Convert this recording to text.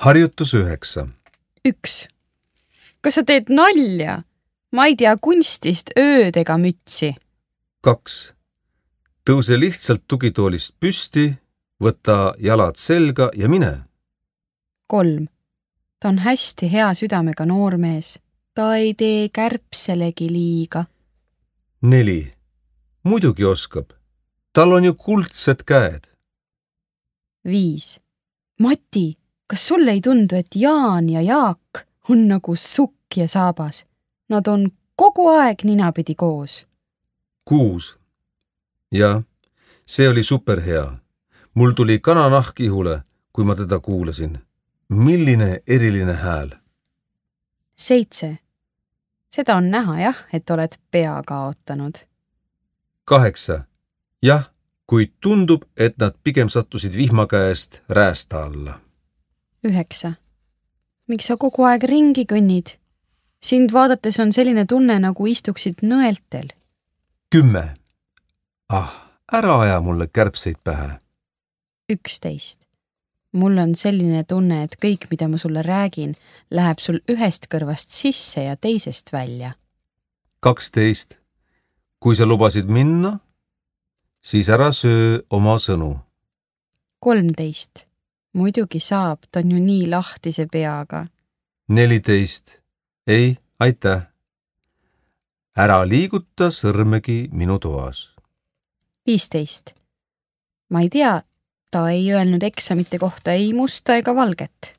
Harjutus 9. 1. Kas sa teed nalja? Ma ei tea kunstist ööd ega mütsi. 2. Tõuse lihtsalt tugitoolist püsti, võta jalad selga ja mine. 3. Ta on hästi hea südamega noormees. Ta ei tee kärbselegi liiga. 4. Muidugi oskab. Tal on ju kuldsed käed. 5. Mati, kas sulle ei tundu, et Jaan ja Jaak on nagu sukk ja saabas? Nad on kogu aeg ninapidi koos. 6. Jah, see oli superhea. Mul tuli kananahk ihule, kui ma teda kuulasin. Milline eriline hääl. 7. Seda on näha jah, et oled pea kaotanud. 8. Jah, kuid tundub, et nad pigem sattusid vihma käest räästa alla. 9. Miks sa kogu aeg ringi kõnnid? Sind vaadates on selline tunne, nagu istuksid nõeltel. 10. Ära aja mulle kärbseid pähe. 11. Mul on selline tunne, et kõik, mida ma sulle räägin, läheb sul ühest kõrvast sisse ja teisest välja. 12. Kui sa lubasid minna, siis ära söö oma sõnu. 13. Muidugi saab, ta on ju nii lahtise peaga. 14. Ei, aitäh. Ära liiguta sõrmegi minu toas. 15. Ma ei tea, ta ei öelnud eksamite kohta ei musta ega valget.